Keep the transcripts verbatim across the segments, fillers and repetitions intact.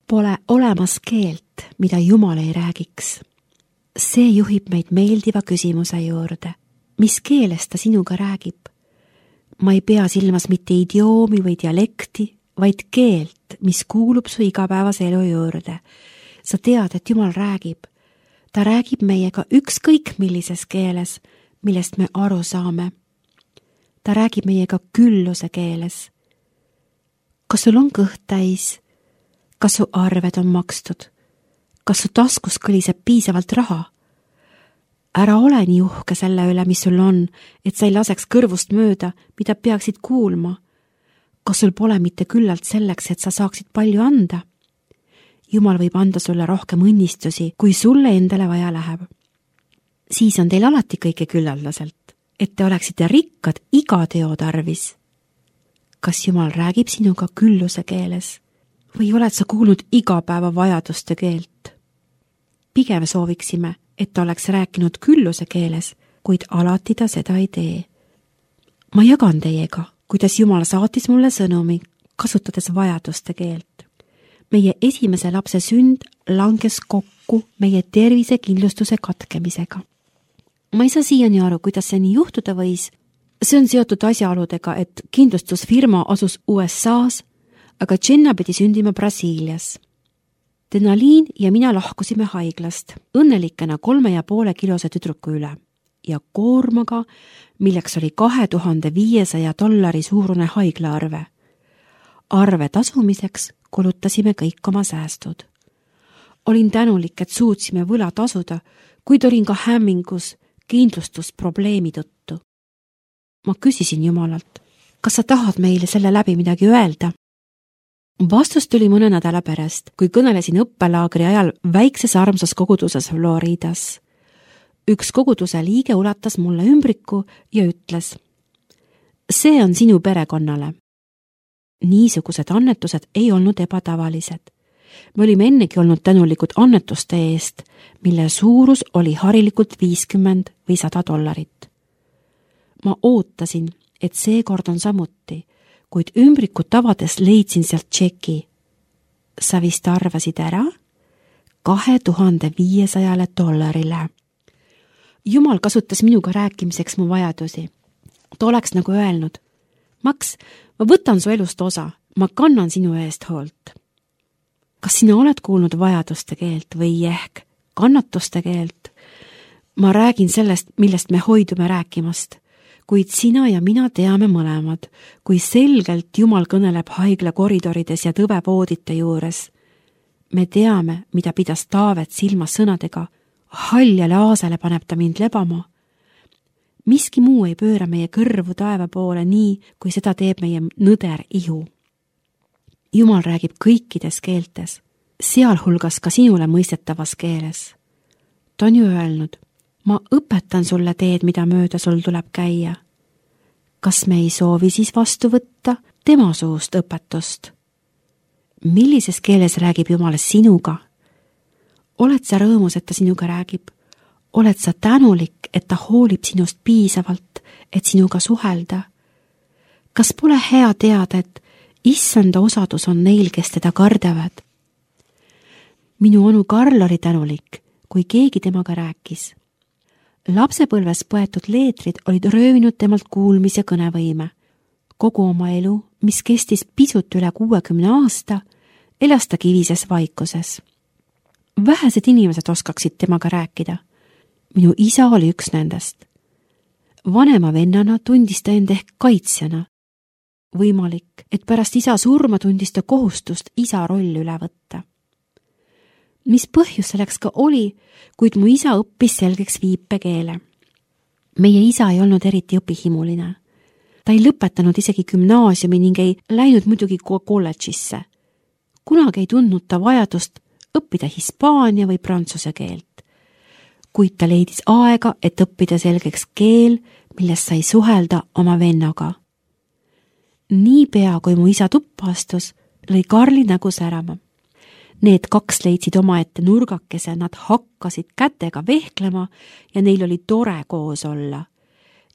Pole olemas keelt, mida Jumal ei räägiks. See juhib meid meeldiva küsimuse juurde. Mis keeles ta sinuga räägib? Ma ei pea silmas mitte idioomi või dialekti, vaid keelt, mis kuulub su igapäevase elu juurde. Sa tead, et Jumal räägib. Ta räägib meiega ükskõik millises keeles, millest me aru saame. Ta räägib meiega külluse keeles. Kas sul on kõht täis? Kas su arved on makstud? Kas su taskus kõliseb piisavalt raha? Ära ole nii uhke selle üle, mis sul on, et sa ei laseks kõrvust mööda, mida peaksid kuulma. Kas sul pole mitte küllalt selleks, et sa saaksid palju anda? Jumal võib anda sulle rohkem õnnistusi, kui sulle endale vaja läheb. Siis on teil alati kõike küllaldaselt, et te oleksite rikkad iga teo tarvis. Kas Jumal räägib sinuga külluse keeles? Või oled sa kuulnud igapäeva vajaduste keelt? Pigem sooviksime, et ta oleks rääkinud külluse keeles, kuid alati ta seda ei tee. Ma jagan teiega, kuidas Jumal saatis mulle sõnumi, kasutades vajaduste keelt. Meie esimese lapse sünd langes kokku meie tervisekindlustuse katkemisega. Ma ei saa siiani aru, kuidas see nii juhtuda võis. See on seotud asjaoludega, et kindlustusfirma asus U S A-s, aga Jenna pidi sündima Brasiilias. Denaliin ja mina lahkusime haiglast, õnnelikena kolme ja poole kilose tüdruku üle ja koormaga, milleks oli kahe tuhande viiesaja dollari suurune haiglaarve. Arve tasumiseks kulutasime kõik oma säästud. Olin tänulik, et suutsime võla tasuda, kuid olin ka hämmingus kindlustusprobleemi tõttu. Ma küsisin Jumalalt, kas sa tahad meile selle läbi midagi öelda? Vastus tuli mõne nädala pärast, kui kõnelesin õppelaagri ajal väikses armsas koguduses Floridas. Üks koguduse liige ulatas mulle ümbriku ja ütles, see on sinu perekonnale. Niisugused annetused ei olnud ebatavalised. Me olime ennegi olnud tänulikud annetuste eest, mille suurus oli harilikult viiskümmend või sada dollarit. Ma ootasin, et seekord on samuti, kuid ümbrikut avades leidsin sealt tšeki. Sa vist arvasid ära? kahe tuhande viiesajale dollarile. Jumal kasutas minuga rääkimiseks mu vajadusi. Ta oleks nagu öelnud, Max, ma võtan su elust osa, ma kannan sinu eest hoolt. Kas sina oled kuulnud vajaduste keelt või ehk kannatuste keelt? Ma räägin sellest, millest me hoidume rääkimast. Kuid sina ja mina teame mõlemad, kui selgelt Jumal kõneleb haigla koridorides ja tõvevoodite juures. Me teame, mida pidas Taavet silmas sõnadega, haljale aasele paneb ta mind lebama. Miski muu ei pööra meie kõrvu taeva poole nii, kui seda teeb meie nõder ihu. Jumal räägib kõikides keeltes, sealhulgas ka sinule mõistetavas keeles. Ta on ju öelnud, ma õpetan sulle teed, mida mööda sul tuleb käia. Kas me ei soovi siis vastu võtta tema suust õpetust? Millises keeles räägib Jumal sinuga? Oled sa rõõmus, et ta sinuga räägib? Oled sa tänulik, et ta hoolib sinust piisavalt, et sinuga suhelda? Kas pole hea teada, et issanda osadus on neil, kes teda kardavad? Minu onu Karl oli tänulik, kui keegi temaga rääkis. Lapsepõlves põetud leetrid olid röövinud temalt kuulmis- ja kõnevõime. Kogu oma elu, mis kestis pisut üle kuuekümne aasta, elas ta kivises vaikuses. Vähesed inimesed oskaksid temaga rääkida. Minu isa oli üks nendest. Vanema vennana tundis ta end ehk kaitsjana. Võimalik, et pärast isa surma tundis ta kohustust isa roll üle võtta. Mis põhjus selleks ka oli, kuid mu isa õppis selgeks viipekeele. Meie isa ei olnud eriti õpihimuline. Ta ei lõpetanud isegi gümnaasiumi ning ei läinud muidugi kolledžisse. Kunagi ei tundnud ta vajadust õppida hispaania või prantsuse keelt. Kuid ta leidis aega, et õppida selgeks keel, millest sai suhelda oma vennaga. Niipea, kui mu isa tuppa astus, lõi Karli nägu särama. Need kaks leidsid omaette nurgakese, nad hakkasid kätega vehklema ja neil oli tore koos olla.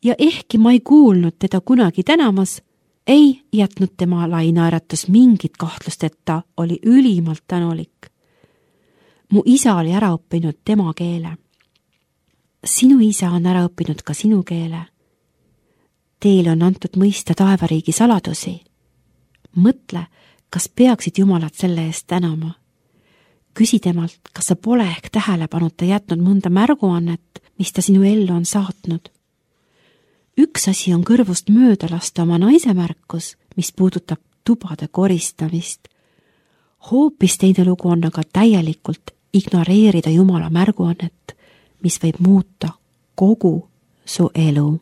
Ja ehkki ma ei kuulnud teda kunagi tänamas, ei jätnud tema lainaeratus mingit kahtlust, et ta oli ülimalt tänulik. Mu isa oli ära õppinud tema keele. Sinu isa on ära õppinud ka sinu keele. Teile on antud mõista taevariigi saladusi. Mõtle, kas peaksid Jumalat selle eest tänama. Küsi temalt, kas sa pole ehk tähelepanuta jätnud mõnda märguannet, mis ta sinu ellu on saatnud. Üks asi on kõrvust mööda lasta oma naise märkus, mis puudutab tubade koristamist. Hoopis teine lugu on aga täielikult ignoreerida Jumala märguannet, mis võib muuta kogu su elu.